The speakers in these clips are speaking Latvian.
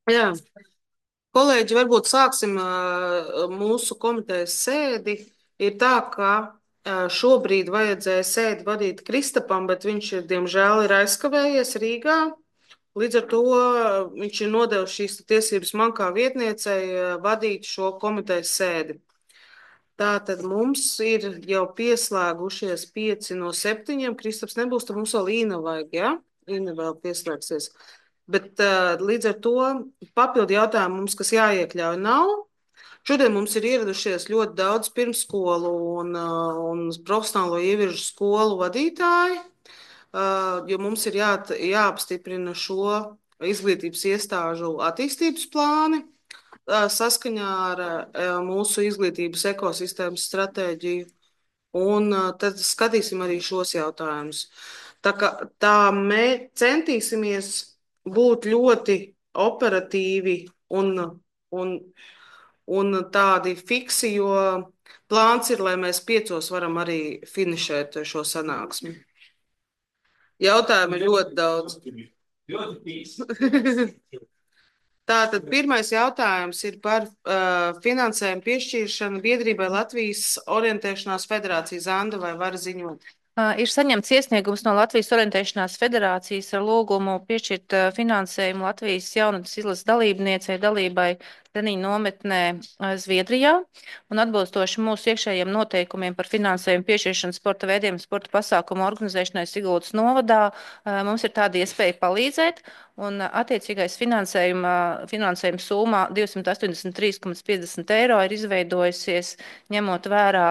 Jā, kolēģi, varbūt sāksim mūsu komitejas sēdi. Ir tā, ka šobrīd vajadzēja sēdi vadīt Kristapam, bet viņš ir, diemžēl, ir aizkavējies Rīgā. Līdz ar to viņš ir nodevis šīs tiesības man kā vietniecei vadīt šo komitejas sēdi. Tātad mums ir jau pieslēgušies 5 no 7. Kristaps nebūs, tad mums vēl Īna vajag, ja? Īna vēl pieslēgsies. Bet līdz ar to papildu jautājumu mums, kas jāiekļauj, nav. Šodien mums ir ieradušies ļoti daudz pirmsskolu un profesionālo ievirzu skolu vadītāji, jo mums ir jāapstiprina šo izglītības iestāžu attīstības plāni saskaņā ar mūsu izglītības ekosistēmas stratēģiju. Un tad skatīsim arī šos jautājumus. Tā mēs centīsimies būt ļoti operatīvi un, un tādi fiksi, jo plāns ir, lai mēs 5 varam arī finišēt šo sanāksmi. Jautājumu ir ļoti daudz. Tātad pirmais jautājums ir par finansējumu piešķiršanu biedrībai Latvijas Orientēšanās Federācija. Zanda, vai var ziņot? Ir saņemts iesniegums no Latvijas Orientēšanās Federācijas ar lūgumu piešķirt finansējumu Latvijas jaunatnes izlases dalībniecei dalībai treniņu nometnē Zviedrijā. Un atbilstoši mūsu iekšējiem noteikumiem par finansējumu piešķiršanu sporta veidiem, sporta pasākumu organizēšanai Siguldas novadā, mums ir tāda iespēja palīdzēt. Un attiecīgais finansējuma summa 283,50 eiro ir izveidojusies ņemot vērā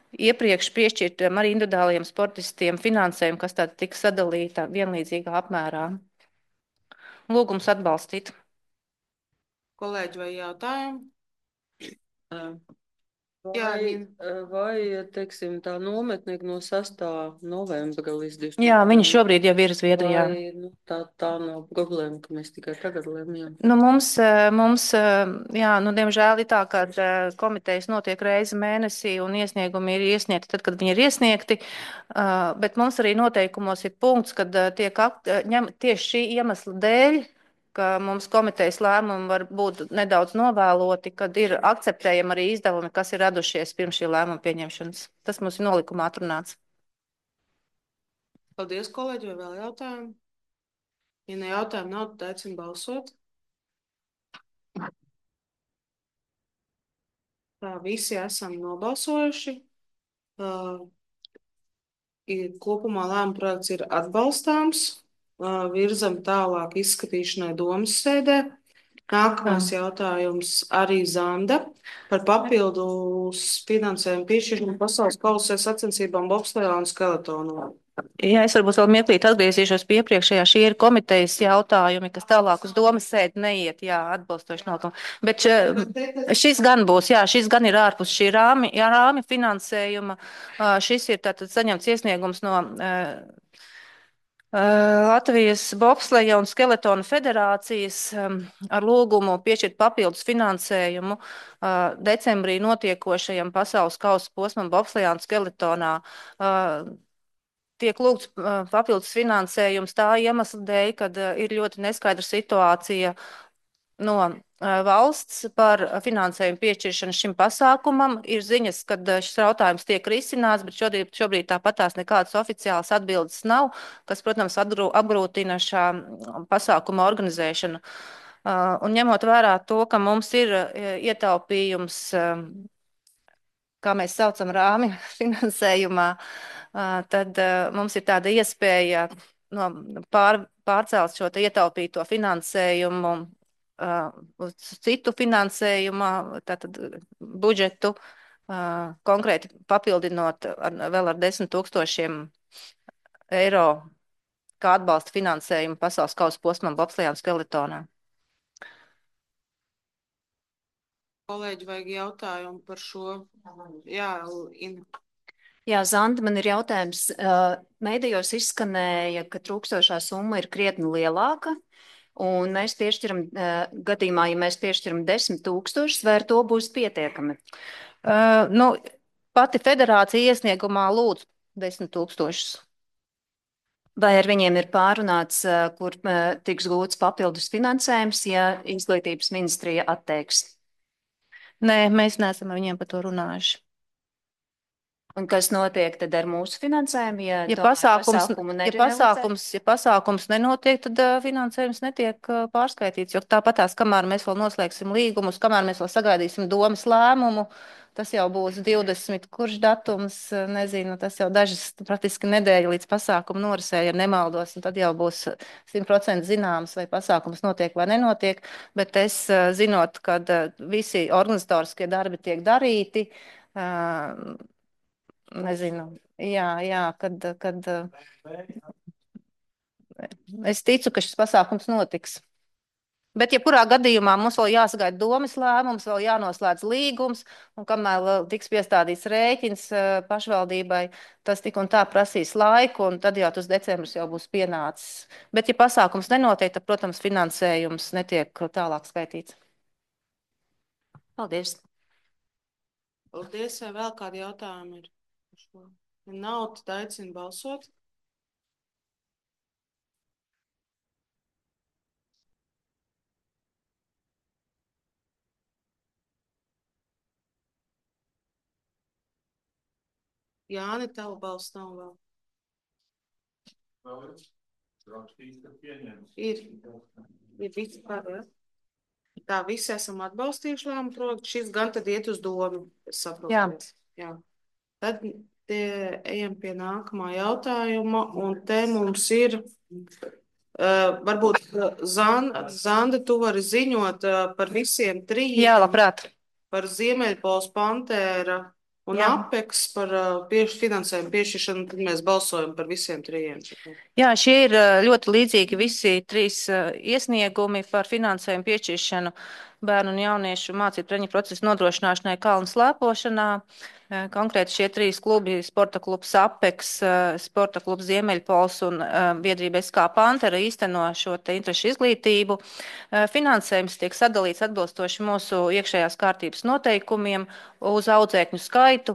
iepriekš piešķirtiem arī individuāliem sportistiem finansējumu, kas tāda tika sadalīta vienlīdzīgā apmērā. Lūgums atbalstīt. Kolēģi, vai jautājumi? Jā, vai, teiksim, tā nometne no 6. novembra līdz 20. Jā, viņi šobrīd jau ir Zviedrijā. Vai, tā nav problēma, ka mēs tikai tagad lemjam? Nu, jā, diemžēl ir tā, ka komitejas notiek reizi mēnesī un iesniegumi ir iesniegti tad, kad viņi ir iesniegti, bet mums arī noteikumos ir punkts, kad tiek tieši šī iemesla dēļ, ka mums komitejas lēmumi var būt nedaudz novēloti, kad ir akceptējami arī izdevumi, kas ir radušies pirms šī lēmuma pieņemšanas. Tas mums ir nolikumā atrunāts. Paldies, kolēģi, vai vēl jautājumi? Ja ne jautājumu nav, tad aicinu balsot. Tā, visi esam nobalsojuši. Kopumā lēmuma projekts ir atbalstāms. Virzam tālāk izskatīšanai domas sēdē. Nākamais jautājums arī Zanda par papildus finansējumu piešķiršanu pasaules kausa sacensībām bobslejā un skeletonā. Jā, es varbūt vēl mirklīt atgriezīšos pie iepriekšējā. Šie ir komitejas jautājumi, kas tālāk uz domas sēdi neiet, jā, atbilstoši notam. Bet šis gan būs, jā, šis gan ir ārpus šī rāmi finansējuma. Šis ir tātad saņemts iesniegums no Latvijas bobsleja un skeletona federācijas ar lūgumu piešķirt papildus finansējumu decembrī notiekošajam pasaules kausa posmam bobslejā un skeletonā. Tiek lūgts papildus finansējums tā iemesla dēļ, kad ir ļoti neskaidra situācija no valsts par finansējumu piešķiršanu šim pasākumam. Ir ziņas, ka šis jautājums tiek risināts, bet šobrīd tāpatās nekādas oficiālas atbildes nav, kas, protams, apgrūtina šā pasākuma organizēšanu. Un ņemot vērā to, ka mums ir ietaupījums, kā mēs saucam, rāmi finansējumā, tad mums ir tāda iespēja pārcelt šo ietaupīto finansējumu uz citu finansējumu, tātad budžetu, konkrēti papildinot vēl ar 10 000 eiro kā atbalsta finansējumu pasaules kausa posmam bobslejā un skeletonā. Kolēģi, vajag jautājumu par šo? Jā, Ina. Jā, Zanda, man ir jautājums. Mēdījos izskanēja, ka trūkstošā summa ir krietni lielāka, un mēs piešķiram, gadījumā, ja mēs piešķiram 10 000, vai ar to būs pietiekami? Pati federācija iesniegumā lūdz 10 000. Vai ar viņiem ir pārunāts, kur tiks gūts papildus finansējums, ja izglītības ministrija atteiks? Nē, mēs neesam ar viņiem par to runājuši. Un kas notiek tad ar mūsu finansējumu, ja Ja tomēr pasākums, pasākumu ja pasākums nenotiek, tad finansējums netiek pārskaitīts, jo tāpatās, kamēr mēs vēl noslēgsim līgumus, kamēr mēs vēl sagaidīsim domas lēmumu, tas jau būs 20, kurš datums, nezinu, tas jau dažas praktiski nedēļa līdz pasākumu norisē, ja nemaldos, un tad jau būs 100% zināms, vai pasākums notiek vai nenotiek, bet es zinot, kad visi organizatoriskie darbi tiek darīti, nezinu, jā, kad es ticu, ka šis pasākums notiks. Bet, ja kurā gadījumā mums vēl jāsagaida domas lēmums, vēl jānoslēdz līgums, un kamēr vēl tiks piestādīts rēķins pašvaldībai, tas tik un tā prasīs laiku, un tad jau tas decembris jau būs pienācis. Bet, ja pasākums nenotiek, tad, protams, finansējums netiek tālāk skaitīts. Paldies. Paldies, vai vēl kādi jautājumi ir? Ja nav, tad aicinu balsot. Jāni, tavu balss nav vēl. Ir visi par, ja? Tā, visi esam atbalstījuši lēmumu projektu. Šis gan tad iet uz domu, es saprotu. Jā. Tad ejam pie nākamā jautājuma, un te mums ir, varbūt, Zanda, tu vari ziņot par visiem trījiem. Jā, labprāt. Par Ziemeļpols, Pantēra un Apeks par finansējumu piešķiršanu, tad mēs balsojam par visiem trījiem. Jā, šie ir ļoti līdzīgi visi trīs iesniegumi par finansējumu piešķiršanu bērnu un jauniešu mācību treniņu procesu nodrošināšanai kalnu slēpošanā. Konkrēti šie trīs klubi, sporta klubs Apeks, sporta klubs Ziemeļpols un biedrība SK Pantera īsteno šo te interešu izglītību. Finansējums tiek sadalīts atbilstoši mūsu iekšējās kārtības noteikumiem uz audzēkņu skaitu,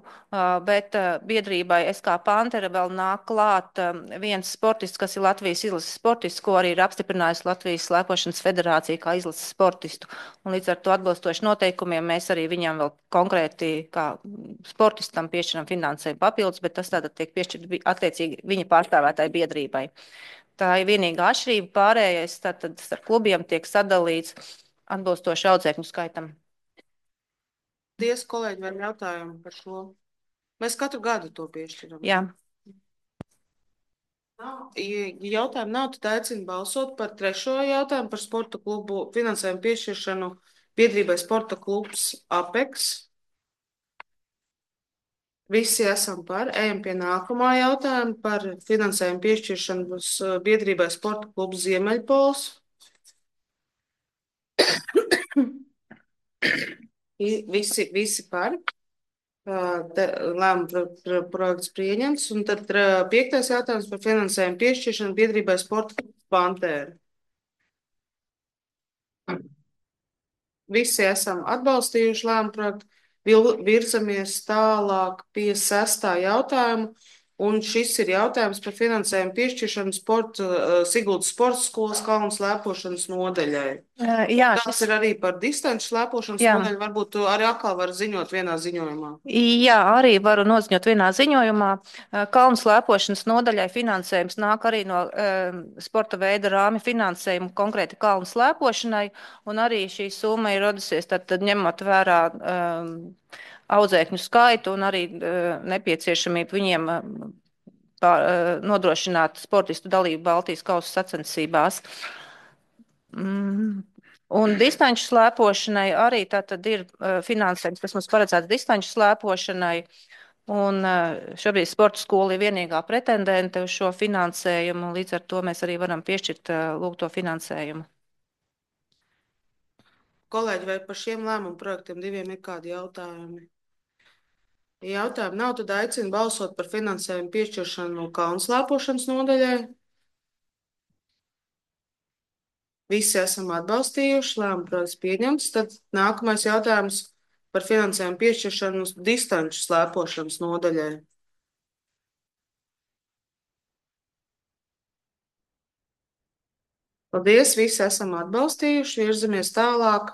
bet biedrībai SK Pantera vēl nāk klāt viens sportists, kas ir Latvijas izlases sportists, ko arī ir apstiprinājusi Latvijas slēpošanas federācija kā izlases sportistu. Un līdz ar to atbilstoši noteikumiem mēs arī viņam vēl konkrēti kā sportistam piešķiram finansējumu papildus, bet tas tātad tiek piešķirt attiecīgi viņa pārstāvētāji biedrībai. Tā ir vienīgā atšķirība, pārējais tātad starp klubiem tiek sadalīts atbilstoši audzēkņu skaitam. Paldies, kolēģi, vai jautājumu par šo? Mēs katru gadu to piešķiram. Jā. Ja jautājumu nav, tad aicinu balsot par trešo jautājumu par sporta klubu finansējumu piešķiršanu biedrībai sporta klubs Apeks. Visi esam par. Ejam pie nākamā jautājuma par finansējumu piešķiršanu biedrībai sporta klubs Ziemeļpols. Visi par. Lēmuma projekts pieņemts. Un tad 5. jautājums par finansējumu piešķiršanu biedrībai sporta klubs Pantēra. Visi esam atbalstījuši lēmumu projektu. Virzamies tālāk pie 6. jautājuma. Un šis ir jautājums par finansējumu piešķiršanu Siguldas sporta skolas kalnu slēpošanas nodaļai. Jā, Tas ir arī par distanču slēpošanas nodaļu. Varbūt tu arī atkal var ziņot vienā ziņojumā. Jā, arī varu noziņot vienā ziņojumā. Kalnu slēpošanas nodaļai finansējums nāk arī no sporta veida rāmi finansējumu konkrēti kalnu slēpošanai. Un arī šī summa ir radusies tad ņemot vērā audzēkņu skaitu un arī nepieciešamību viņiem nodrošināt sportistu dalību Baltijas kausa sacensībās. Un distanču slēpošanai arī tātad ir finansējums, kas mums paredzēts distanču slēpošanai. Un šobrīd sporta skola ir vienīgā pretendente uz šo finansējumu, līdz ar to mēs arī varam piešķirt lūgto finansējumu. Kolēģi, vai par šiem lēmumu projektiem diviem ir kādi jautājumi? Ja jautājumu nav, tad aicinu balsot par finansējumu piešķiršanu kalnu slēpošanas nodaļai. Visi esam atbalstījuši, lēmumu projekts pieņemts. Tad nākamais jautājums par finansējumu piešķiršanu distanču slēpošanas nodaļai. Paldies, visi esam atbalstījuši, virzamies tālāk.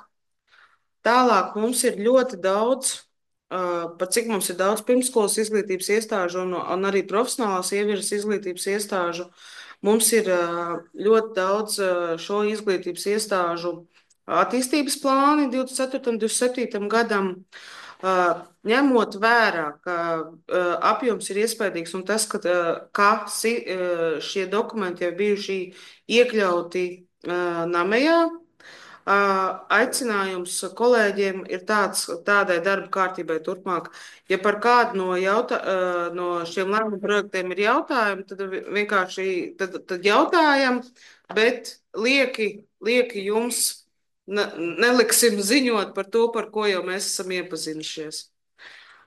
Tālāk mums ir ļoti daudz, par cik mums ir daudz pirmskolas izglītības iestāžu un arī profesionālās ievirzes izglītības iestāžu. Mums ir ļoti daudz šo izglītības iestāžu attīstības plāni 24. un 27. gadam. Ņemot vērā, ka apjoms ir iespējams un tas, ka šie dokumenti jau bijuši iekļauti namējā, aicinājums kolēģiem ir tādai darba kārtībai turpmāk. Ja par kādu no šiem lēmumu projektiem ir jautājumi, tad vienkārši tad jautājam, bet lieki jums neliksim ziņot par to, par ko jau mēs esam iepazinušies.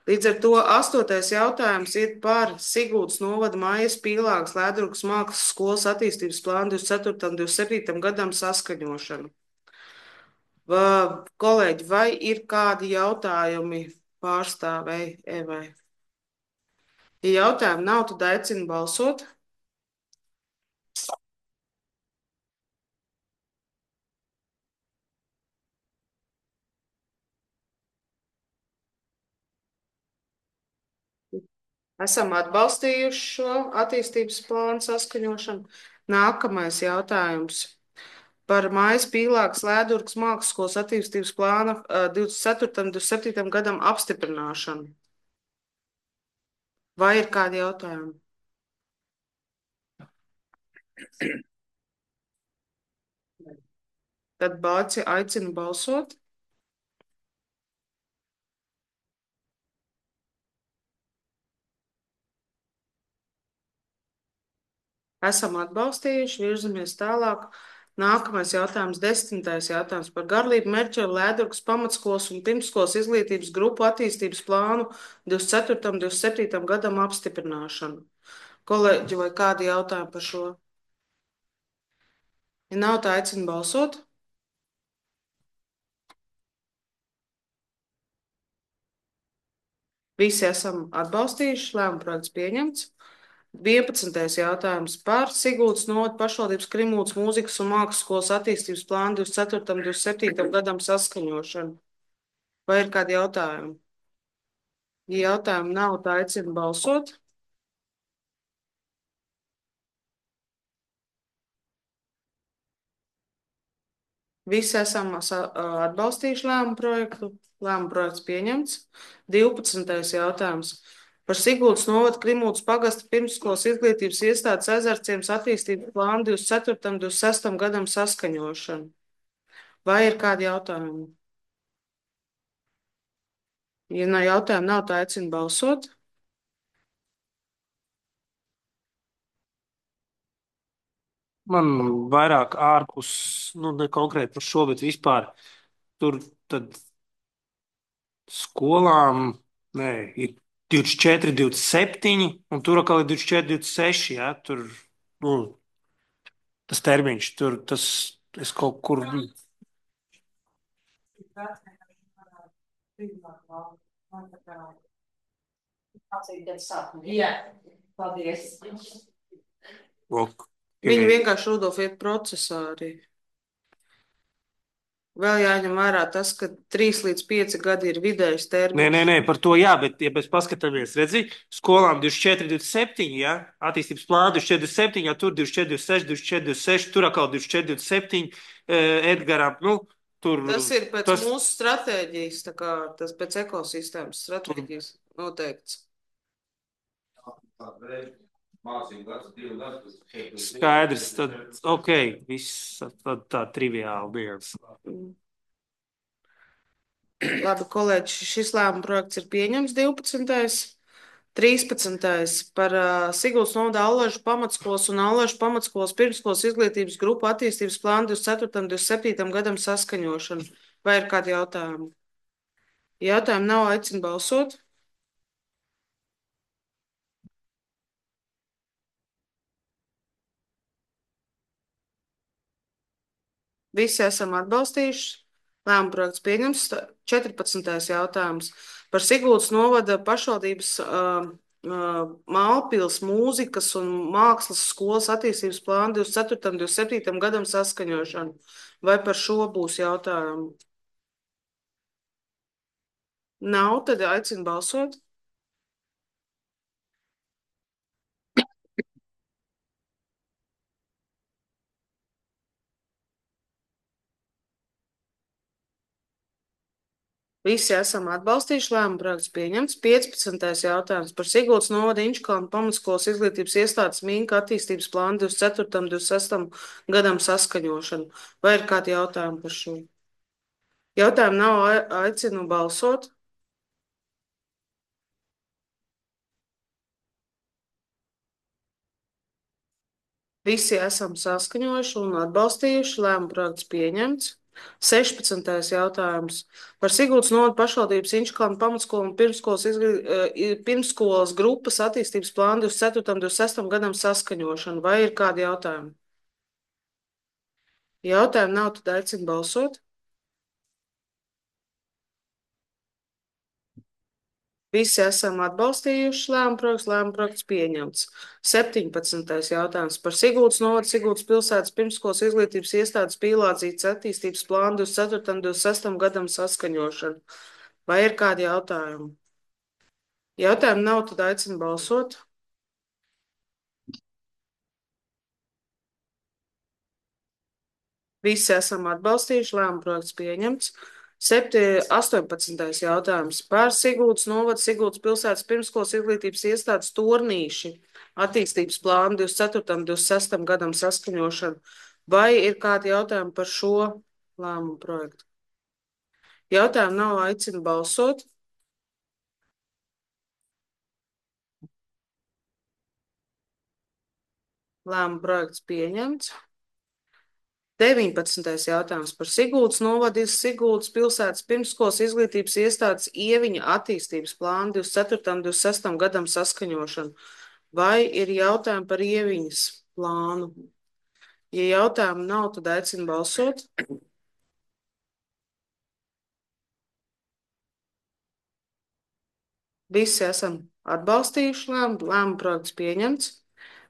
Līdz ar to 8. jautājums ir par Siguldas novada Mājas Pīlāgas Lēdurgas mākslas skolas attīstības plānu 24. un 27. gadam saskaņošanu. Kolēģi, vai ir kādi jautājumi pārstāvēji Evai? Ja jautājumu nav, tad aicinu balsot. Esam atbalstījuši šo attīstības plānu saskaņošanu. Nākamais jautājums par Mājas Pīlāgas Lēdurgas mākslas skolas attīstības plāna 24. un 27. gadam apstiprināšanu. Vai ir kādi jautājumi? Tad aicinu balsot. Esam atbalstījuši, virzamies tālāk. Nākamais jautājums, 10. jautājums par Garlību Merķevu Lēdurgas pamatskolas un pirmskolas izglītības grupu attīstības plānu 24. un 27. gadam apstiprināšanu. Kolēģi, vai kādi jautājumi par šo? Ja nav, tā aicinu balsot. Visi esam atbalstījuši, lēmuma projekts pieņemts. 11. jautājums par Siguldas novada pašvaldības Krimūdas mūzikas un mākslas skolas attīstības plānu 24. un 27. gadam saskaņošanu. Vai ir kādi jautājumi? Ja jautājumu nav, tā aicinu balsot. Visi esam atbalstījuši lēmumu projektu. Lēmumu projekts pieņemts. 12. jautājums par Siguldas novada Krimūdas pagasta pirmsskolas izglītības iestādes Ezerciems attīstības plānu 24. un 26. gadam saskaņošanu. Vai ir kādi jautājumi? Ja no jautājumu nav, tā aicinu balsot. Man vairāk ārpus, ne konkrēti par šo, bet vispār tur tad skolām, ir 24, 27, un tur atkal ir 24, 26, jā, tur, tas termiņš, tur, es kaut kur. Jā, paldies. Viņi vienkārši Rudolf iet procesā arī. Vēl jāņem vērā tas, ka 3 līdz 5 gadi ir vidējs termiņš. Nē, par to jā, bet, ja mēs paskatāmies, redzi, skolām 24, 27, jā, attīstības plāna 24, 27, jā, tur 24, 26, 24, 26, tur atkal 24, 27, Edgaram, tur. Tas ir pēc mūsu stratēģijas, tā kā tas pēc ekosistēmas stratēģijas noteikts. Skaidrs, tad ok, viss tad tā triviāli bijās. Labi, kolēģi, šis lēmuma projekts ir pieņems 12. 13. par Siguldas novada Allažu pamatskolas un Allažu pamatskolas pirmskolas izglītības grupu attīstības plānu 24. un 27. gadam saskaņošanu. Vai ir kādi jautājumi? Jautājumi nav, aicinu balsot. Visi esam atbalstījuši. Lēmuma projekts pieņems. 14. jautājums par Siguldas novada pašvaldības Mālpils mūzikas un mākslas skolas attīstības plānu 24. un 27. gadam saskaņošanu. Vai par šo būs jautājumi? Nav, tad aicinu balsot. Visi esam atbalstījuši lēmumu projekts pieņemts. 15. jautājums par Siguldas novada Inčukalnu pamatskolas izglītības iestādes Mīnka attīstības plānu 24. un 26. gadam saskaņošanu. Vai ir kādi jautājumi par šo? Jautājumu nav, aicinu balsot. Visi esam saskaņojuši un atbalstījuši lēmumu projekts pieņemts. 16. jautājums par Siguldas novada pašvaldības Inčukalnu pamatskolu un pirmsskolas grupas attīstības plānu 24. un 26. gadam saskaņošanu. Vai ir kādi jautājumi? Jautājumu nav, tad aicinu balsot. Visi esam atbalstījuši lēmumu projekts pieņemts. 17. jautājums par Siguldas novada Siguldas pilsētas pirmsskolas izglītības iestādes Pīlādzītes attīstības plānu 24. un 26. gadam saskaņošanu. Vai ir kādi jautājumi? Jautājumu nav, tad aicinu balsot. Visi esam atbalstījuši lēmumu projekts pieņemts. 18. jautājums par Siguldas novada Siguldas pilsētas pirmsskolas izglītības iestādes Tornīši attīstības plānu 24. un 26. gadam saskaņošanu. Vai ir kādi jautājumi par šo lēmumu projektu? Jautājumu nav, aicinu balsot. Lēmumu projekts pieņemts. 19. jautājums par Siguldas novada Siguldas pilsētas pirmsskolas izglītības iestādes Ieviņa attīstības plānu 24. un 26. gadam saskaņošanu. Vai ir jautājumi par Ieviņas plānu? Ja jautājumu nav, tad aicinu balsot. Visi esam atbalstījuši lēmumu projekts pieņemts.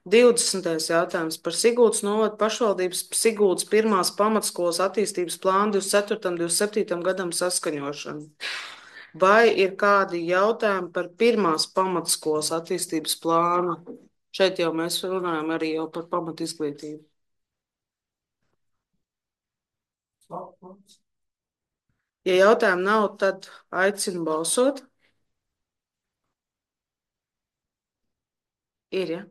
20. jautājums par Siguldas novada pašvaldības Siguldas pirmās pamatskolas attīstības plānu 24. un 27. gadam saskaņošanu. Vai ir kādi jautājumi par pirmās pamatskolas attīstības plānu? Šeit jau mēs runājam arī jau par pamatizglītību. Ja jautājumu nav, tad aicinu balsot. Ir, ja?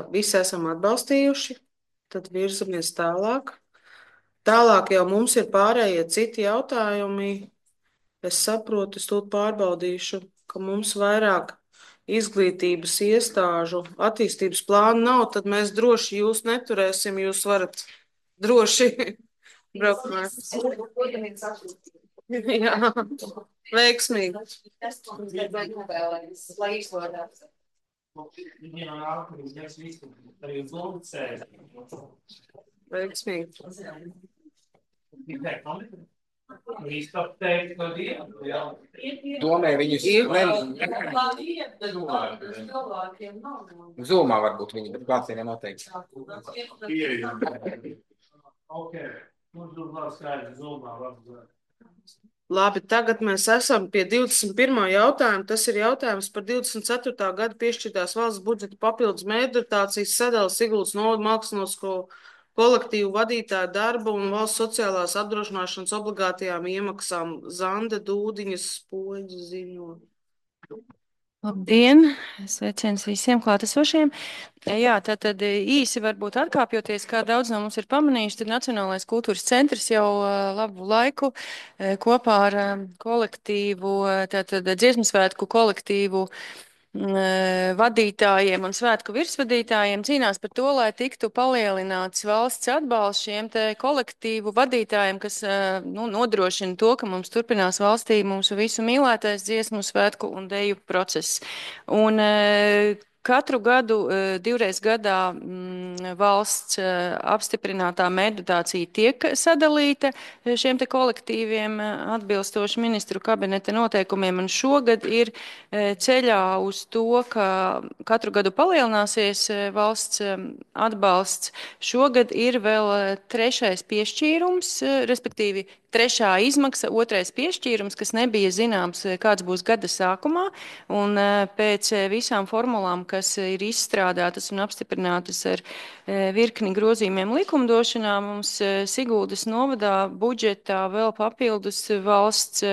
Visi esam atbalstījuši, tad virzamies tālāk. Tālāk jau mums ir pārējie citi jautājumi. Es saprotu, es tūlīt pārbaudīšu, ka mums vairāk izglītības iestāžu attīstības plānu nav, tad mēs droši jūs neturēsim, jūs varat droši braukt mājās. Jā, veiksmīgi. Veiksmīgi. Domāju, viņus Zumā varbūt viņi, bet klātienē noteikti. Labi, tagad mēs esam pie 21. jautājuma. Tas ir jautājums par 24. gada piešķirtās valsts budžeta papildus mēģinācijas sadalas Siguldas novada mākslinieku kolektīvu vadītāju darba un valsts sociālās apdrošināšanas obligātajām iemaksām. Zande Dūdiņas spoģi ziņo. Labdien! Sveiciens visiem klātesošiem. Jā, tātad īsi varbūt atkāpjoties, kā daudz no mums ir pamanījuši, tad Nacionālais kultūras centrs jau labu laiku kopā ar kolektīvu, tātad dziesmu svētku kolektīvu vadītājiem un svētku virsvadītājiem cīnās par to, lai tiktu palielināts valsts atbalsts šiem te kolektīvu vadītājiem, kas nodrošina to, ka mums turpinās valstī mūsu visu mīlētais dziesmu svētku un deju process. Un katru gadu, divreiz gadā valsts apstiprinātā meditācija tiek sadalīta šiem te kolektīviem atbilstoši ministru kabineta noteikumiem, un šogad ir ceļā uz to, ka katru gadu palielināsies valsts atbalsts. Šogad ir vēl trešais piešķīrums, respektīvi trešā izmaksa, otrais piešķīrums, kas nebija zināms, kāds būs gada sākumā, un pēc visām formulām, kas ir izstrādātas un apstiprinātas ar virkni grozījumiem likumdošanā, mums Siguldas novadā budžetā vēl papildus valsts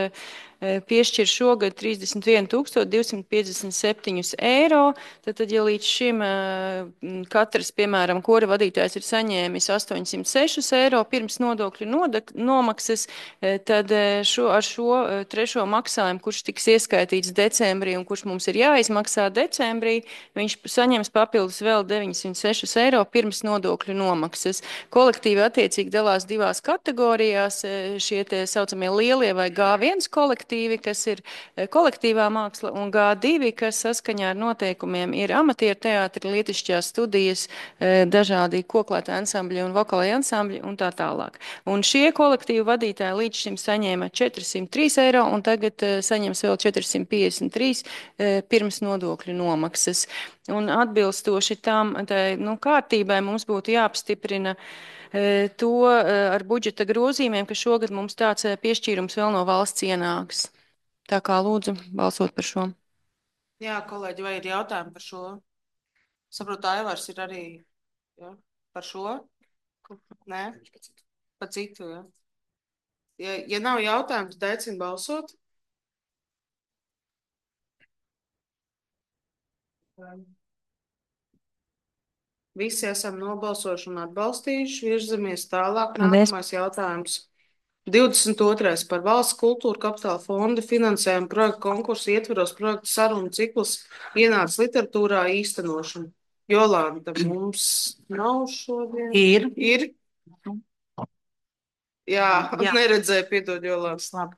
piešķir šogad 31 257 eiro. Tad, ja līdz šim katrs, piemēram, kora vadītājs ir saņēmis 806 eiro pirms nodokļu nomaksas, tad ar šo trešo maksājumu, kurš tiks ieskaitīts decembrī un kurš mums ir jāizmaksā decembrī, viņš saņems papildus vēl 906 eiro pirms nodokļu nomaksas. Kolektīvi attiecīgi dalās divās kategorijās, šie tie saucamie lielie vai G1 kolektīvi, kas ir kolektīvā māksla, un G2, kas saskaņā ar noteikumiem ir amatieru teātri, lietišķās studijas, dažādi koklētā ansambļi un vokālai ansambļi un tā tālāk. Un šie kolektīvu vadītāji līdz šim saņēma 403 eiro un tagad saņems vēl 453 pirms nodokļu nomaksas. Un atbilstoši tam kārtībai mums būtu jāapstiprina to ar budžeta grozījumiem, ka šogad mums tāds piešķīrums vēl no valsts ienāks. Tā kā lūdzu balsot par šo. Jā, kolēģi, vai ir jautājumi par šo? Saprotu, Aivars ir arī par šo? Nē? Par citu, jā. Ja nav jautājumu, tad aicinu balsot. Visi esam nobalsojuši un atbalstījuši, virzamies tālāk. Nākamais jautājums. 22. par valsts kultūra kapitāla fonda finansējumu projektu konkursu ietveros projektu sarunu ciklus ienāca literatūrā īstenošanu. Jolanta, mums nav šodien? Ir? Jā. Neredzēju, piedod, Jolanta.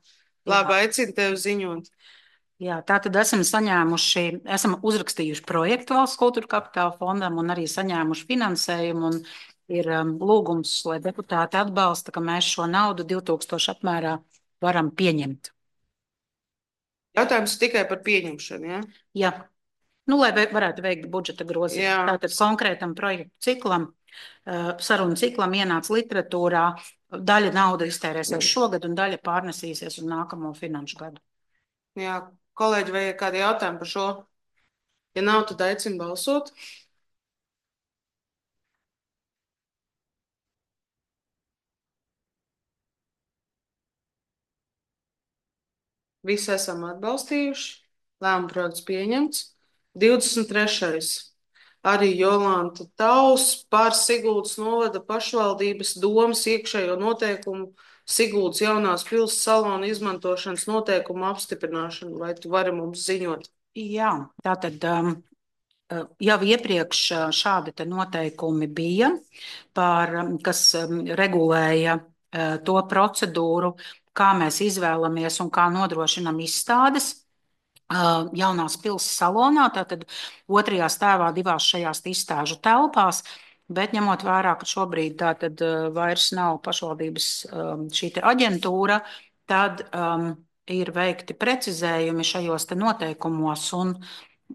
Labi, aicinu tevi ziņot. Jā, tātad esam uzrakstījuši projektu valsts kultūra kapitāla fondam un arī saņēmuši finansējumu, un ir lūgums, lai deputāti atbalsta, ka mēs šo naudu 2000 apmērā varam pieņemt. Jautājums tikai par pieņemšanu, jā? Jā. Lai varētu veikt budžeta grozījumu. Tātad konkrētam projektu ciklam, sarunu ciklam ienāca literatūrā, daļa nauda iztērēsies šogad un daļa pārnesīsies uz nākamo finanšu gadu. Jā, kolēģi, vai ir kādi jautājumi par šo? Ja nav, tad aicinu balsot. Visi esam atbalstījuši. Lēmuma projekts pieņemts. 23. Arī Jolanta Taus par Siguldas novada pašvaldības domas iekšējo noteikumu Siguldas jaunās pils salona izmantošanas noteikumu apstiprināšanu. Vai tu vari mums ziņot? Jā, tātad jau iepriekš šādi te noteikumi bija, kas regulēja to procedūru, kā mēs izvēlamies un kā nodrošinam izstādes jaunās pils salonā, tātad otrajā stāvā divās šajās izstāžu telpās, bet ņemot vērā, ka šobrīd tātad vairs nav pašvaldības šī te aģentūra, tad ir veikti precizējumi šajos te noteikumos un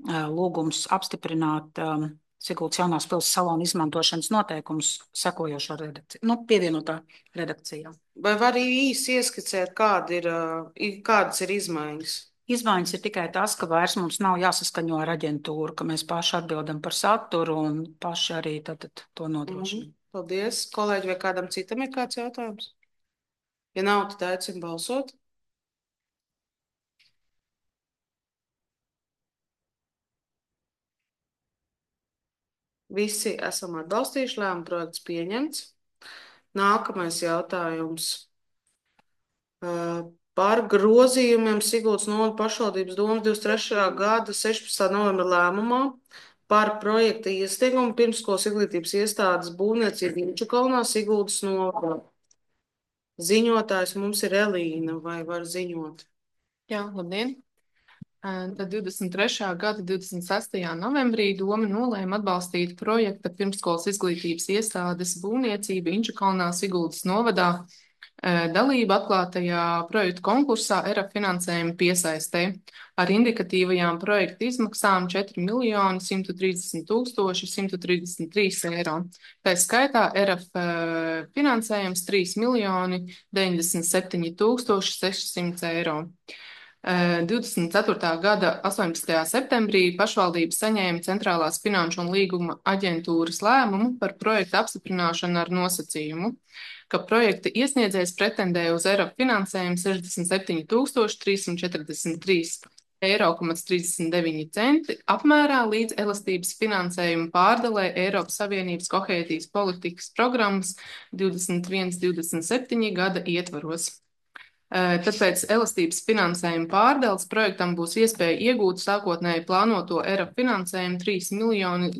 lūgums apstiprināt Siguldas jaunās pils salona izmantošanas noteikumus sekojošā redakcija, pievienotā redakcijā. Vai var īsi ieskicēt, kādas ir izmaiņas? Izmaiņas ir tikai tas, ka vairs mums nav jāsaskaņo ar aģentūru, ka mēs paši atbildam par saturu un paši arī tātad to nodrošinām. Paldies. Kolēģi, vai kādam citam ir kāds jautājums? Ja nav, tad aicinu balsot. Visi esam atbalstījuši, lēmuma projekts pieņemts. Nākamais jautājums. Par grozījumiem Siguldas novada pašvaldības domas 23. gada 16. novembra lēmumā par projekta iesniegumu pirmskolas izglītības iestādes būvniecību Inčukalnā Siguldas novadā. Ziņotājs mums ir Elīna, vai var ziņot? Jā, labdien! Tad 23. gada 26. novembrī Doma nolēma atbalstīt projekta pirmsskolas izglītības iestādes būvniecību Inčukalnā Siguldas novadā dalību atklātajā projektu konkursā ERA finansējuma piesaistē ar indikatīvajām projekta izmaksām 4 130 133 eiro. Tā skaitā ERA finansējums 3 97 600 eiro. 24. gada 18. septembrī pašvaldība saņēma Centrālās finanšu un līguma aģentūras lēmumu par projekta apstiprināšanu ar nosacījumu, ka projekta iesniedzējs pretendē uz ERA finansējumu 67 343 eiro, 39 centi apmērā līdz elastības finansējuma pārdalē Eiropas Savienības kohēzijas politikas programmas 21-27 gada ietvaros. Tāpēc elastības finansējuma pārdales projektam būs iespēja iegūt sākotnēji plānoto ERA finansējumu 3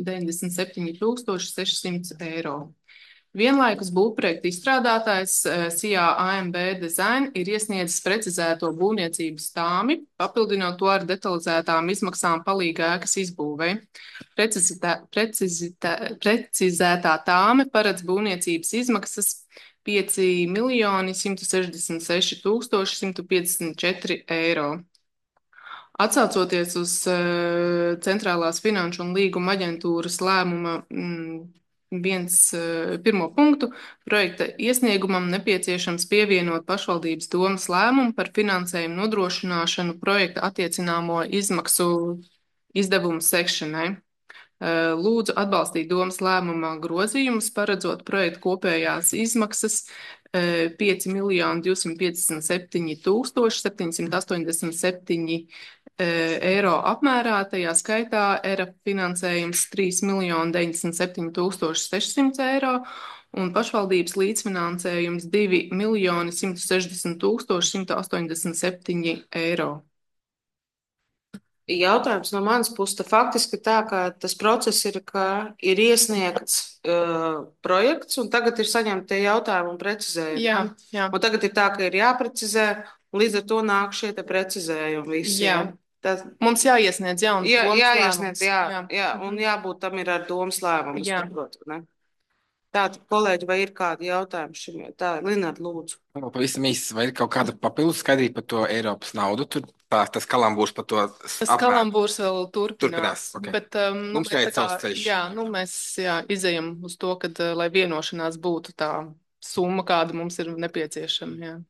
097 600 eiro. Vienlaikus būvprojekta izstrādātājs SIA AMB Design ir iesniedzis precizēto būvniecības tāmi, papildinot to ar detalizētām izmaksām palīga ēkas izbūvei. Precizētā tāme paredz būvniecības izmaksas 5 166 154 eiro. Atsaucoties uz Centrālās finanšu un līguma aģentūras lēmuma pirmo punktu, projekta iesniegumam nepieciešams pievienot pašvaldības domas lēmumu par finansējumu nodrošināšanu projekta attiecināmo izdevumu sekšanai. Lūdzu atbalstīt domas lēmuma grozījumus, paredzot projekta kopējās izmaksas 5 257 787 eiro apmērā, tajā skaitā ERA finansējums 3 97 600 eiro un pašvaldības līdzfinansējums 2 160 187 eiro. Jautājums no manas puses, tad faktiski tā, ka tas process ir, ka ir iesniegts projekts, un tagad ir saņemti tie jautājumi un precizējumi. Jā. Un tagad ir tā, ka ir jāprecizē, un līdz ar to nāk šie te precizējumi visi. Jā. Tad mums jāiesniedz jauns domas jāiesniedz, lēmums. jā, un jābūt tam ir ar domas lēmumu. Jā. Tātad, kolēģi, vai ir kādi jautājumi šim? Tā, Lināt, lūdzu. Pavisam īsi, vai ir kaut kāda papildus skaidrība par to Eiropas naudu? Tur tas kalambūrs par to Tas kalambūrs vēl turpinās. Okay. Bet, mums jāiet savs ceļš. Jā, mēs izejam uz to, kad, lai vienošanās būtu tā summa, kāda mums ir nepieciešama. Jā.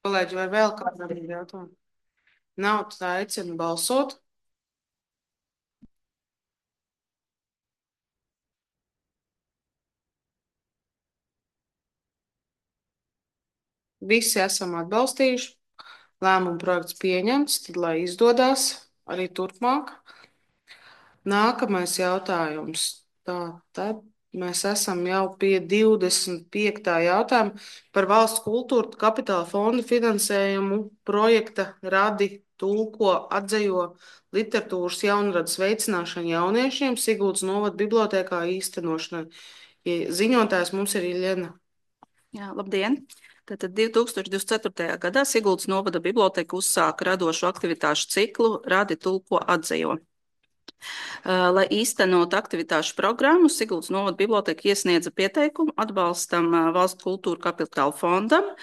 Kolēģi, vai vēl kāda jautājuma? Nav, tā aicinu balsot. Visi esam atbalstījuši. Lēmuma projekts pieņemts, tad lai izdodas arī turpmāk. Nākamais jautājums. Tad mēs esam jau pie 25. jautājuma par valsts kultūra kapitāla fonda finansējumu projekta Radi tulko atdzejo literatūras jaunradas veicināšanu jauniešiem Siguldas novada bibliotēkā īstenošanai. Ziņotājs mums ir Iļena. Jā, labdien! Tātad 2024. gadā Siguldas novada biblioteka uzsāka radošu aktivitāšu ciklu Radi tulko atdzejo. Lai īstenot aktivitāšu programmu, Siguldas novada biblioteka iesniedza pieteikumu atbalstam Valsts kultūra kapitāla fondam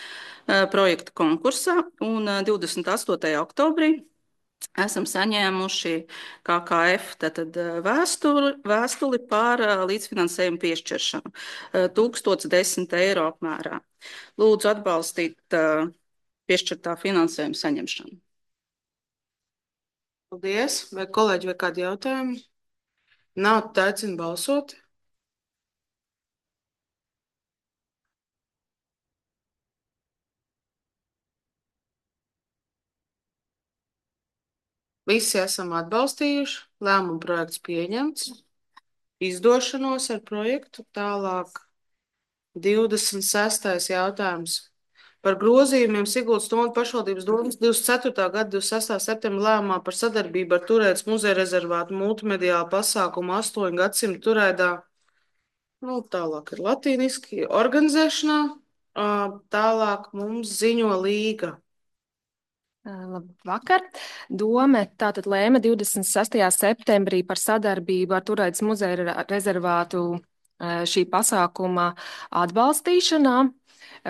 projekta konkursā, un 28. oktobrī esam saņēmuši KKF vēstuli par līdzfinansējumu piešķiršanu 1010 eiro apmērā. Lūdzu atbalstīt piešķirtā finansējuma saņemšanu. Paldies. Vai kolēģi vai kādi jautājumi? Nav, tad aicinu balsot. Visi esam atbalstījuši. Lēmuma projekts pieņemts. Izdošanos ar projektu. Tālāk 26. jautājums. Par grozījumiem Siguldas novada pašvaldības domas 24. gada 26. septembra lēmumā par sadarbību ar Turētas muzeja rezervātu multimediālu pasākumu 8 gadsimtu Turēdā. Tālāk ir latīniski organizēšanā. Tālāk mums ziņo Līga. Labvakar. Dome tātad lēma 26. septembrī par sadarbību ar Turaidas muzeja rezervātu šī pasākuma atbalstīšanā,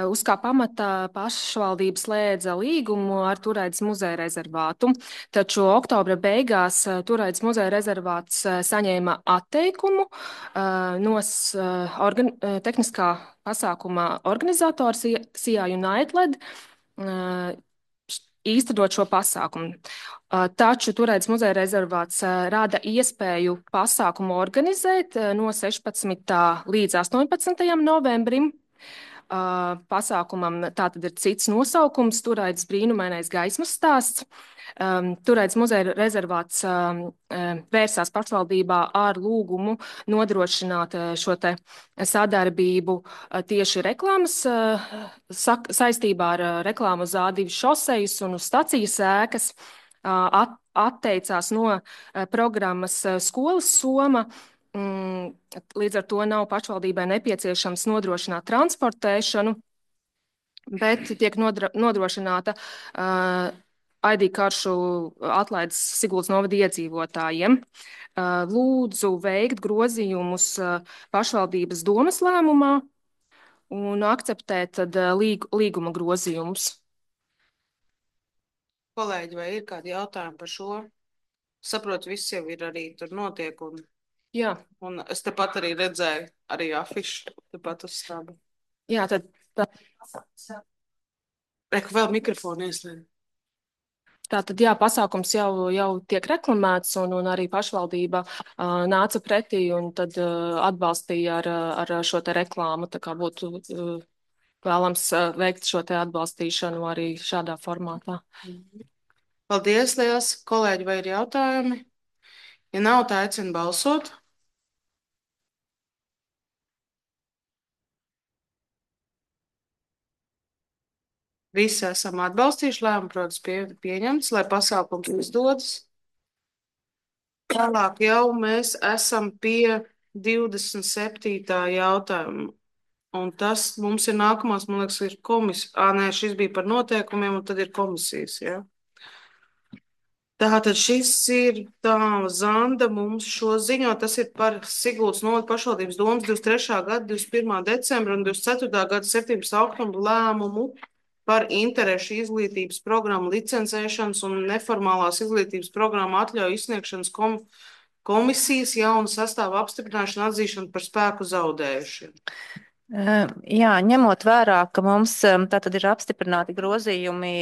uz kā pamata pašvaldība slēdza līgumu ar Turaidas muzeja rezervātu. Taču oktobra beigās Turaidas muzeja rezervāts saņēma atteikumu no tehniskā pasākuma organizators Sijā United īstenot šo pasākumu. Taču Turaidas muzeja rezervāts rada iespēju pasākumu organizēt no 16. līdz 18. novembrim. Pasākumam tātad ir cits nosaukums - Turaidas brīnumainais gaismas stāsts. Turaidas muzeja rezervāts vērsās pašvaldībā ar lūgumu nodrošināt šo te sadarbību tieši reklāmas saistībā ar reklāmu uz A2 šosejas un uz stacijas ēkas. Atteicās no programmas Skolas soma. Līdz ar to nav pašvaldībai nepieciešams nodrošināt transportēšanu, bet tiek nodrošināta ID karšu atlaides Siguldas novada iedzīvotājiem. Lūdzu veikt grozījumus pašvaldības domes lēmumā un akceptēt tad līguma grozījumus. Kolēģi, vai ir kādi jautājumi par šo? Saprotu, viss jau ir arī tur notiek. Jā. Un es tepat arī redzēju arī afišu, tepat uz stābu. Jā, tad... Reku vēl mikrofonu ieslēdz. Tātad, jā, pasākums jau tiek reklamēts, un arī pašvaldība nāca pretī un tad atbalstīja ar šo te reklāmu. Tā kā būtu vēlams veikt šo te atbalstīšanu arī šādā formātā. Paldies, liels kolēģi, vai ir jautājumi? Ja nav, tā aicinu balsot. Visi esam atbalstījuši lēmumu, protams, pieņemts, lai pasākums izdodas. Tālāk jau mēs esam pie 27. jautājuma. Un tas mums ir nākamās, man liekas, ir komisija. Nē, šis bija par noteikumiem, un tad ir komisijas, jā. Tātad šis ir Zanda mums šo ziņo, tas ir par Siguldas novada pašvaldības domas 23. gada 21. decembra un 24. gada 17. oktobra lēmumu par interešu izglītības programmu licencēšanas un neformālās izglītības programmu atļauju izsniegšanas komisijas jaunu sastāvu apstiprināšanu atzīšanu par spēku zaudējušiem. Jā, ņemot vērā, ka mums tātad ir apstiprināti grozījumi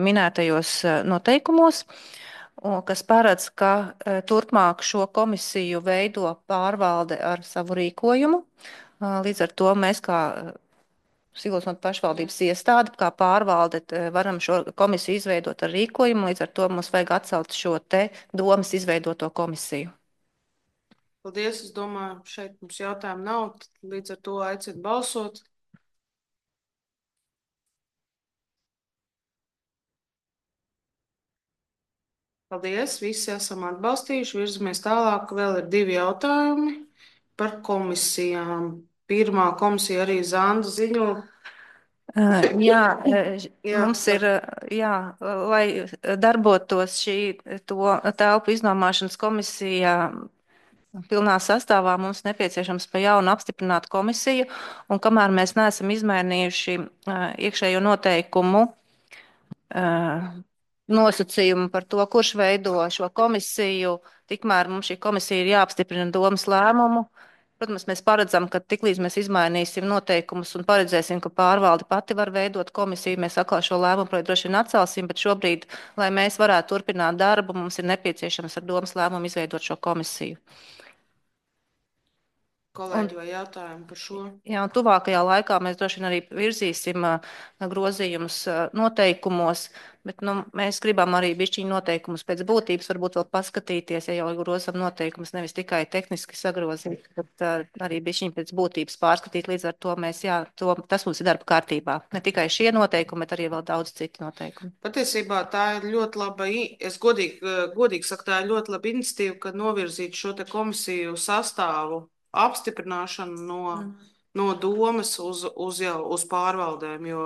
minētajos noteikumos, kas paredz, ka turpmāk šo komisiju veido pārvalde ar savu rīkojumu. Līdz ar to mēs kā Siguldas novada pašvaldības iestāde, kā pārvalde, varam šo komisiju izveidot ar rīkojumu, līdz ar to mums vajag atcelt šo te domas izveidoto komisiju. Paldies, es domāju, šeit mums jautājumu nav, līdz ar to aicinu balsot. Paldies, visi esam atbalstījuši, virzamies tālāk, vēl ir 2 jautājumi par komisijām. Pirmā komisija arī Zanda ziņo. Jā, mums ir, lai darbotos šī telpu iznomāšanas komisija pilnā sastāvā, mums nepieciešams pa jaunu apstiprināt komisiju, un kamēr mēs neesam izmainījuši iekšējo noteikumu nosacījumu par to, kurš veido šo komisiju, tikmēr mums šī komisija ir jāapstiprina domas lēmumu. Protams, mēs paredzam, ka tiklīdz mēs izmainīsim noteikumus un paredzēsim, ka pārvalde pati var veidot komisiju, mēs atkal šo lēmumu droši vien atcelsim, bet šobrīd, lai mēs varētu turpināt darbu, mums ir nepieciešams ar domas lēmumu izveidot šo komisiju. Kolēģi, vai jautājumi par šo? Jā, un tuvākajā laikā mēs droši vien arī virzīsim grozījumus noteikumos, bet mēs gribam arī bišķiņu noteikumus pēc būtības varbūt vēl paskatīties, ja jau grozam noteikumus, nevis tikai tehniski sagrozīt, bet arī bišķiņu pēc būtības pārskatīt. Līdz ar to mēs, tas mums ir darba kārtībā. Ne tikai šie noteikumi, bet arī vēl daudz citu noteikumu. Patiesībā tā ir ļoti laba, es godīgi saku, tā ir ļoti laba iniciatīva, kad novirzīt šo te komisiju sastāvu apstiprināšanu no domes uz pārvaldēm, jo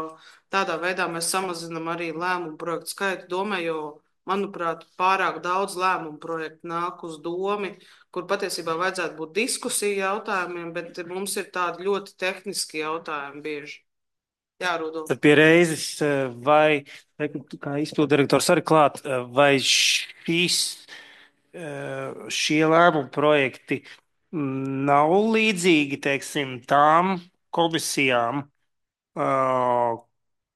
tādā veidā mēs samazinām arī lēmumu projektu skaitu domē, jo, manuprāt, pārāk daudz lēmumu projektu nāk uz domi, kur patiesībā vajadzētu būt diskusiju jautājumiem, bet mums ir tādi ļoti tehniski jautājumi bieži. Jā, Rudolf. Tad pie reizes, vai, kā izpildirektors arī klāt, vai šie lēmumu projekti nav līdzīgi, teiksim, tām komisijām,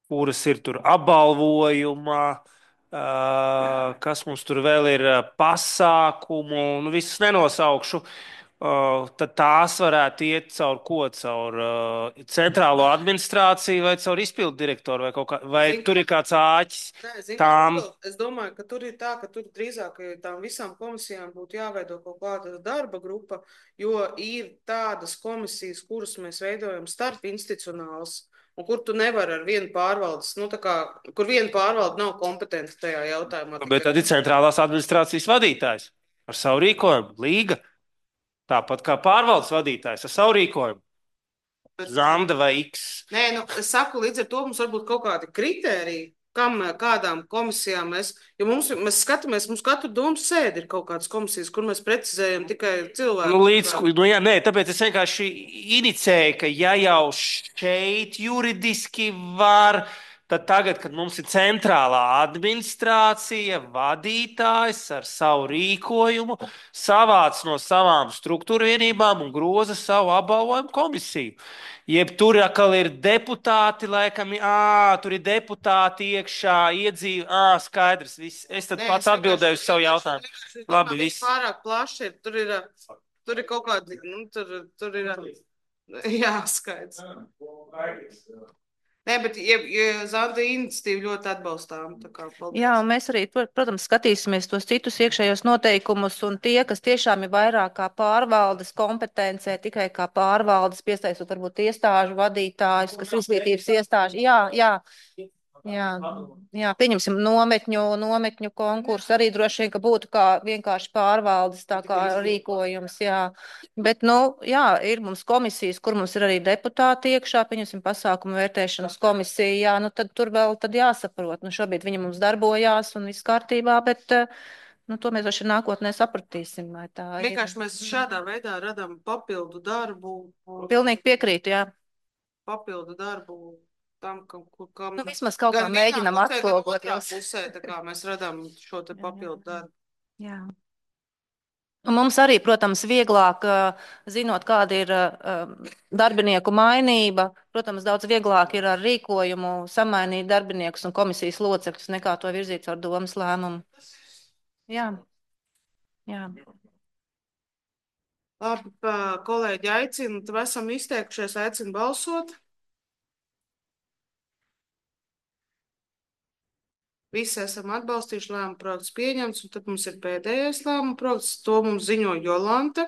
kuras ir tur apbalvojumā, kas mums tur vēl ir pasākumu, nu visus nenosaukšu, tad tās varētu iet caur ko? Caur centrālo administrāciju vai caur izpildu direktoru vai kaut kā, vai tur ir kāds āķis tām? Es domāju, ka tur ir tā, ka tur drīzāk tām visām komisijām būtu jāveido kaut kāda darba grupa, jo ir tādas komisijas, kuras mēs veidojam starp institucionāls, un kur tu nevari ar vienu pārvaldes, nu tā kā, kur viena pārvalde nav kompetenta tajā jautājumā. Bet tad ir centrālās administrācijas vadītājs ar savu rīkojumu, līga. Tāpat kā pārvaldes vadītājs ar savu rīkojumu. Zanda vai X. Nē, nu, es saku, līdz ar to mums varbūt kaut kādi kritēriji, kādām komisijām mēs skatāmies, mums katru domu sēdi ir kaut kādas komisijas, kur mēs precizējam tikai cilvēku. Jā, nē, tāpēc es vienkārši inicēju, ka ja jau šeit juridiski var, tad tagad, kad mums ir centrālā administrācija, vadītājs ar savu rīkojumu, savāc no savām struktūra vienībām un groza savu apbalvojumu komisiju. Jeb tur atkal ir deputāti, laikam, tur ir deputāti iekšā, skaidrs, viss. Es tad pats atbildēju uz savu jautājumu. Labi, viss. Pārāk plaši ir, tur ir kaut kādi, nu, tur ir, jā, skaidrs. Nē, bet Zanda iniciatīva ļoti atbalstām. Jā, un mēs arī, protams, skatīsimies tos citus iekšējos noteikumus, un tie, kas tiešām ir vairāk kā pārvaldes kompetencē, tikai kā pārvaldes, piesaistot varbūt iestāžu vadītājus, kas izglītības iestāžu. Jā, pieņemsim nometņu konkursu, arī droši vien, ka būtu kā vienkārši pārvaldes tā kā rīkojums, jā. Bet, jā, ir mums komisijas, kur mums ir arī deputāti iekšā, pieņemsim pasākumu vērtēšanas komisiju, jā, tad tur vēl tad jāsaprot. Šobrīd viņi mums darbojās un viss kārtībā, bet, to mēs droši nākotnē sapratīsim, vai tā ir. Vienkārši mēs šādā veidā radam papildu darbu. Pilnīgi piekrītu, jā. Papildu darbu. Tam, kam vismaz kaut kā mēģinam atspoguļot. Pusē, tā kā mēs radām šo te papildu darbu. Jā. Un mums arī, protams, vieglāk, zinot, kāda ir darbinieku mainība, protams, daudz vieglāk ir ar rīkojumu samainīt darbiniekus un komisijas locekļus, nekā to virzīt ar domas lēmumu. Jā. Labi, kolēģi aicinu, tad esam izteikušies, aicinu balsot. Visi esam atbalstījuši, lēmuma projekts pieņemts, un tad mums ir pēdējais lēmuma projekts. To mums ziņo Jolante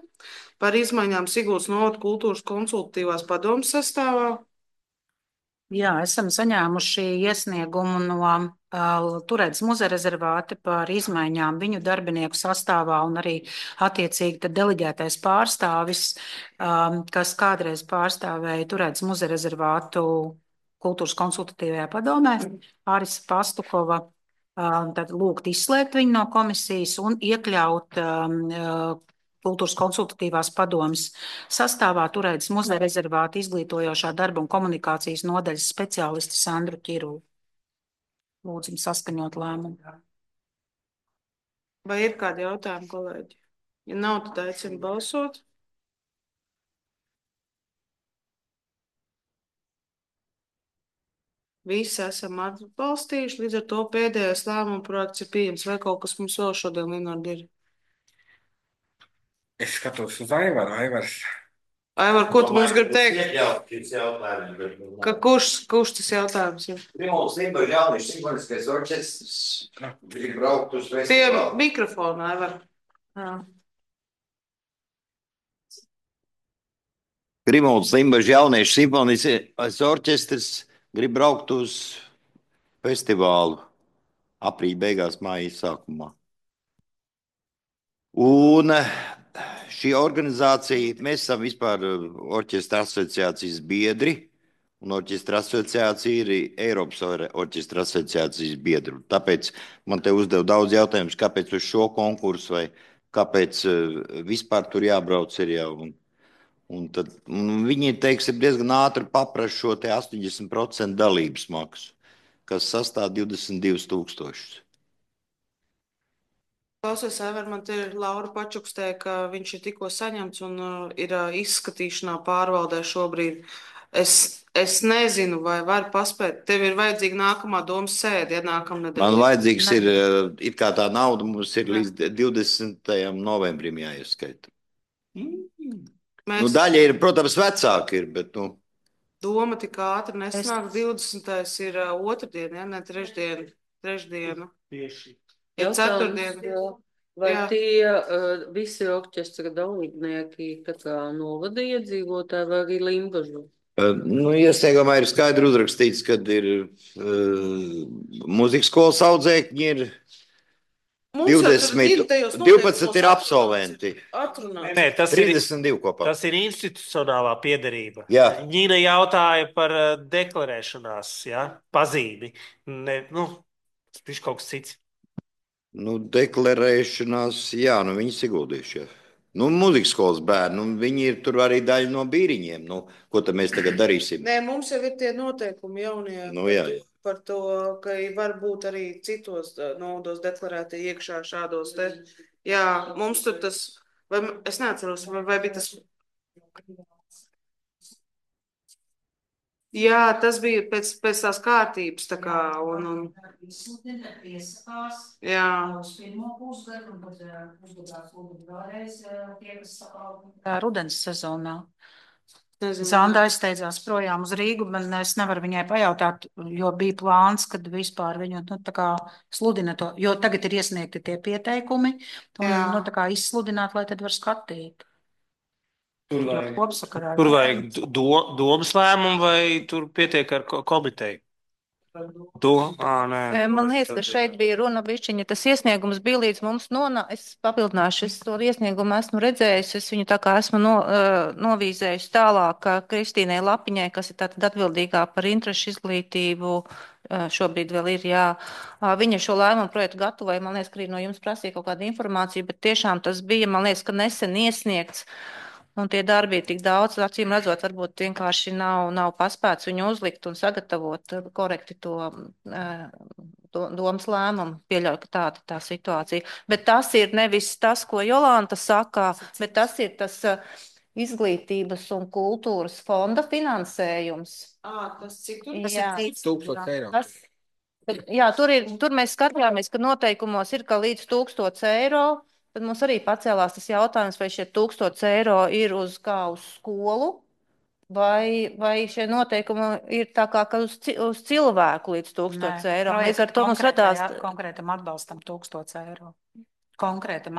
par izmaiņām Siguldas novada kultūras konsultatīvās padomes sastāvā. Jā, esam saņēmuši iesniegumu no Turētas muzeja rezervāta par izmaiņām viņu darbinieku sastāvā un arī attiecīgi tad deleģētais pārstāvis, kas kādreiz pārstāvēja Turētas muzeja rezervātu kultūras konsultatīvajā padomē, Ārisa Pastukova, tad lūgt izslēgt viņu no komisijas un iekļaut kultūras konsultatīvās padomes sastāvā Turētas muzeja rezervāta izglītojošā darba un komunikācijas nodaļas speciālisti Sandru Ķiru. Lūdzam saskaņot lēmumu. Vai ir kādi jautājumi, kolēģi? Ja nav, tad aicinu balsot. Visi esam atbalstījuši, līdz ar to pēdējais lēmuma projekts ir pieejams. Vai kaut kas mums vēl šodien, Linārdi, ir? Es skatos uz Aivaru. Aivar, ko tu mums gribi teikt? Ka kurš tas jautājums ir? Rimons Limbaģa jauniešu simfoniskais orķestrs grib braukt uz festivālu. Pie mikrofona, Aivar. Rimons Limbaģa jauniešu simfoniskais orķestrs grib braukt uz festivālu aprīļa beigās, māja sākumā. Un šī organizācija, mēs esam vispār orķestra asociācijas biedri, un orķestra asociācija ir Eiropas orķestra asociācijas biedru. Tāpēc man te uzdev daudz jautājumus, kāpēc uz šo konkursu vai kāpēc vispār tur jābrauc ir jau. Un viņi, teiksim, diezgan ātri paprasa šo te 80% dalības maksu, kas sastāv 22,000. Klausies, Aivar, man te ir Laura pačukstēja, ka viņš ir tikko saņemts un ir izskatīšanā pārvaldē šobrīd. Es nezinu, vai var paspēt. Tev ir vajadzīga nākamā domas sēde, ja nākamnedēļ. Man vajadzīgs ir, it kā tā nauda mums ir līdz 20. novembrim jāieskaita. Nu, daļa ir, protams, vecāka ir, bet, nu. Doma tik ātri nesanāk. 20. ir otrdiena, ja ne trešdiena. Tieši. Ir ceturtdiena. Vai Jā. tie visi orķestra dalībnieki tā kā novada iedzīvotāji vai arī Limbažu? Nu, iesniegumā ir skaidri uzrakstīts, kad ir mūzikas skolas audzēkņi ir Mums jau tur 20, tajos 12 ir absolventi. Atrunāts. Nē, tas ir 32 kopā. Tas ir institucionālā piederība. Jā. Ņīna jautāja par deklarēšanās, ja, pazīmi. Ne, nu, tas ir kaut kas cits. Nu, deklarēšanās, jā, nu viņi ieguldījuši. Nu, mūzikas skolas bērni, nu, viņi ir tur arī daļa no bīriņiem. Nu, ko tad mēs tagad darīsim? Nē, mums jau ir tie noteikumi jaunie. Nu, jā. Par to, ka var būt arī citos naudos deklarēti iekšā šādos te. Jā, mums tur tas, vai es neatceros, vai bija tas. Jā, tas bija pēc tās kārtības, tā kā, un. Jā. Rudens sezonā. Zanda aizsteidzās projām uz Rīgu, bet es nevaru viņai pajautāt, jo bija plāns, kad vispār viņu, nu, tā kā sludina to, jo tagad ir iesniegti tie pieteikumi, un, nu, tā kā izsludināt, lai tad var skatīt. Tur vajag domas lēmumu vai tur pietiek ar komiteju? Nē. Man liekas, ka šeit bija runa bišķiņa. Tas iesniegums bija līdz mums es papildināšu, es to iesniegumu esmu redzējusi, es viņu tā kā esmu novīzējusi tālāk Kristīnai Lapiņai, kas ir tātad atbildīgā par interešu izglītību, šobrīd vēl ir, jā. Viņa šo lēmumu projektu gatavoja, man liekas, ka arī no jums prasīja kaut kādu informāciju, bet tiešām tas bija, man liekas, ka nesen iesniegts. Un tie darbi ir tik daudz, acīm redzot, varbūt vienkārši nav paspēts viņu uzlikt un sagatavot korekti to domas lēmumu. Pieļauju, ka tāda tā situācija. Bet tas ir nevis tas, ko Jolanta saka, bet tas ir tas izglītības un kultūras fonda finansējums. Tas cik tur? Tas ir 1000 eiro. Jā, tur mēs skatījāmies, ka noteikumos ir, ka līdz 1000 eiro. Tad mums arī pacēlās tas jautājums, vai šie 1000 eiro ir uz skolu, vai šie noteikumi ir tā kā uz cilvēku līdz 1000 eiro. Mēs ar to mums radās. Konkrētam atbalstam 1000 eiro. Konkrētam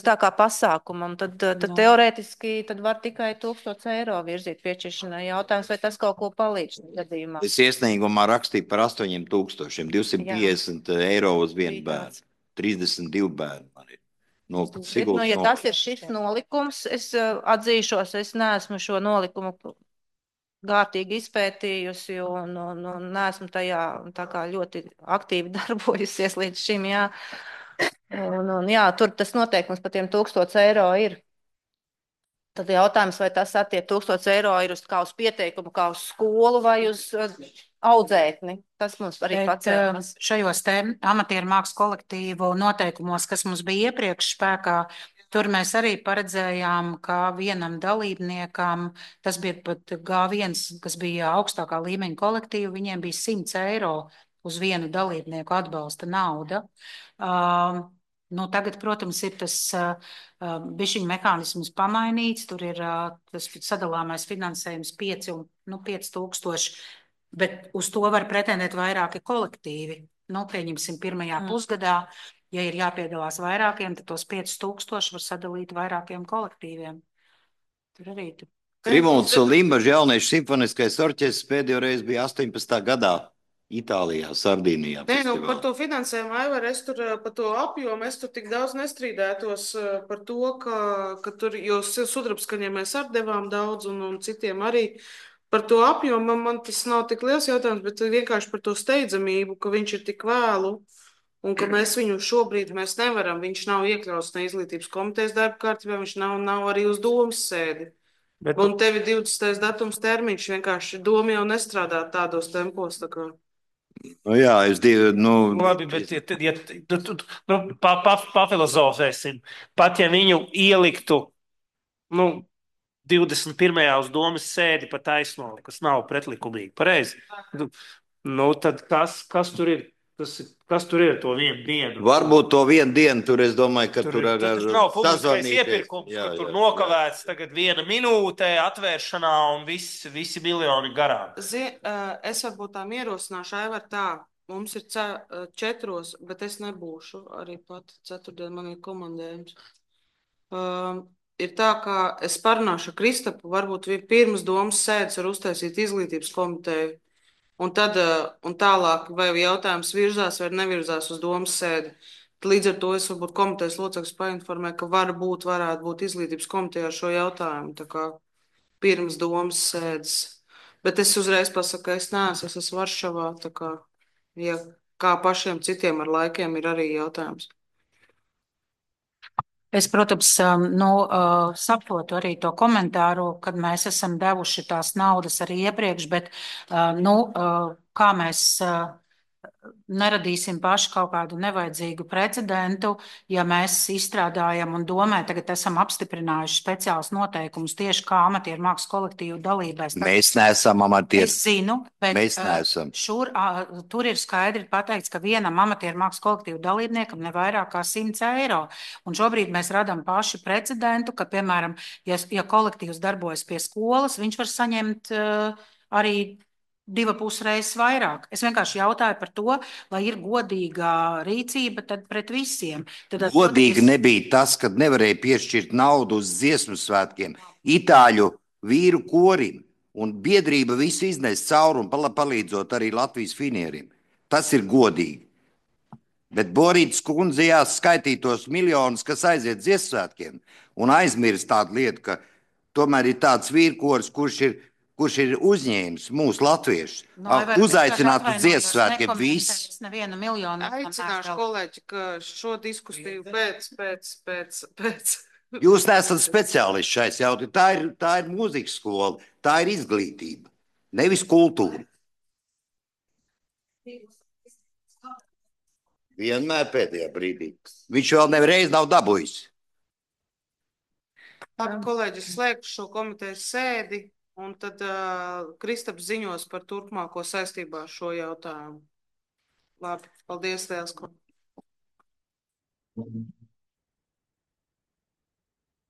tā kā pasākumam, tad teorētiski tad var tikai 1000 eiro virzīt piešķiršanai. Jautājums, vai tas kaut ko palīdz gadījumā? Es iesniegumā rakstīju par 8000, 250 eiro uz vienu bērnu. 32 bērni man ir. Ja tas ir šis nolikums, es atzīšos, es neesmu šo nolikumu gārtīgi izpētījusi un neesmu tajā tā kā ļoti aktīvi darbojusies līdz šim, jā. Jā, tur tas noteikums par tiem 1000 eiro ir. Tad jautājums, vai tas attiec 1000 eiro ir kā uz pieteikumu, kā uz skolu vai uz audzēkni. Tas mums arī pacēlās. Šajos te amatieru mākslas kolektīvu noteikumos, kas mums bija iepriekš spēkā, tur mēs arī paredzējām, ka vienam dalībniekam, tas bija pat G1, kas bija augstākā līmeņa kolektīva, viņiem bija 100 eiro uz vienu dalībnieku atbalsta nauda. Nu, tagad, protams, ir tas bišķiņu mehānisms pamainīts, tur ir tas sadalāmais finansējums 5000, bet uz to var pretendēt vairāki kolektīvi. Nu, pieņemsim pirmajā pusgadā, ja ir jāpiedalās vairākiem, tad tos 5000 var sadalīt vairākiem kolektīviem. Tur arī. Krimults un Limbažu jauniešu simfoniskais orķestris pēdējo reizi bija 18. gadā. Itālijā, Sardīnijā. Nē, nu, par festivālā. to finansējumu, Aivar, es tur par to apjomu, es tur tik daudz nestrīdētos par to, ka tur, jo sudrabskaņiem mēs arī devām daudz un citiem arī. Par to apjomu man tas nav tik liels jautājums, bet vienkārši par to steidzamību, ka viņš ir tik vēlu un ka mēs viņu šobrīd mēs nevaram. Viņš nav iekļauts ne izglītības komitejas darba kārtībā, viņš nav arī uz domas sēdi. Bet Un tev ir 20. datums termiņš, vienkārši doma jau nestrādā tādos tempos. Tā kā. Nu, jā, es divu, labi, bet pafilozofēsim. Pat ja viņu ieliktu 21. uz domas sēdi pa taisno, kas nav pretlikumīgi, pareizi. Tad kas tur ir? Kas tur ir to vienu dienu? Varbūt to vienu dienu tur, es domāju, ka tur ar nav publiskais sazvanīties. iepirkums, tur nokavēts tagad 1 minūte atvēršanā un visi miljoni garām. Es varbūt tā ierosināšu, Aivar, tā. Mums ir 4, bet es nebūšu arī pat 4. man ir komandējums. Ir tā, ka es parunāšu ar Kristapu, varbūt pirms domas sēdes var uztaisīt izglītības komiteju. Un tad un tālāk, vai jautājums virzās vai nevirzās uz domas sēdi. Līdz ar to es varbūt komitejas locekļus painformēju, ka varētu būt izglītības komiteja ar šo jautājumu, tā kā pirms domas sēdes. Bet es uzreiz pasaku, ka es neesmu, es esmu Varšavā, tā kā, ja kā pašiem citiem ar laikiem ir arī jautājums. Es, protams, saprotu arī to komentāru, kad mēs esam devuši tās naudas arī iepriekš, bet kā mēs neradīsim paši kaut kādu nevajadzīgu precedentu, ja mēs izstrādājam un domē, tagad esam apstiprinājuši speciālus noteikumus tieši kā amatieru mākslas kolektīvu dalībai. Mēs neesam amatieru. Es zinu, bet mēs neesam. Tur ir skaidri pateikts, ka vienam amatieru mākslas kolektīvu dalībniekam ne vairāk kā 100 eiro. Un šobrīd mēs radam paši precedentu, ka, piemēram, ja kolektīvs darbojas pie skolas, viņš var saņemt arī 2,5 reizes vairāk. Es vienkārši jautāju par to, lai ir godīga rīcība pret visiem. Godīgi nebija tas, kad nevarēja piešķirt naudu uz dziesmu svētkiem itāļu vīru korim, un biedrība visu iznes cauri un palīdzot arī Latvijas finieriem. Tas ir godīgi. Bet Borītas kundze jāskaitītos miljonus, kas aiziet dziesmu svētkiem, un aizmirst tādu lietu, ka tomēr ir tāds vīrkoris, kurš ir uzņēmis mūsu latviešus, uzaicināt uz dziesmu svētkiem visus. Aicināšu kolēģi, ka šo diskusiju pēc. Jūs neesat speciālisti šais jautājumā. Tā ir mūzikas skola, tā ir izglītība, nevis kultūra. Vienmēr pēdējā brīdī. Viņš vēl nereiz nav dabūjis. Labi, kolēģi, slēgšu šo komitejas sēdi. Un tad Kristaps ziņos par turpmāko saistībā ar šo jautājumu. Labi, paldies, Liels.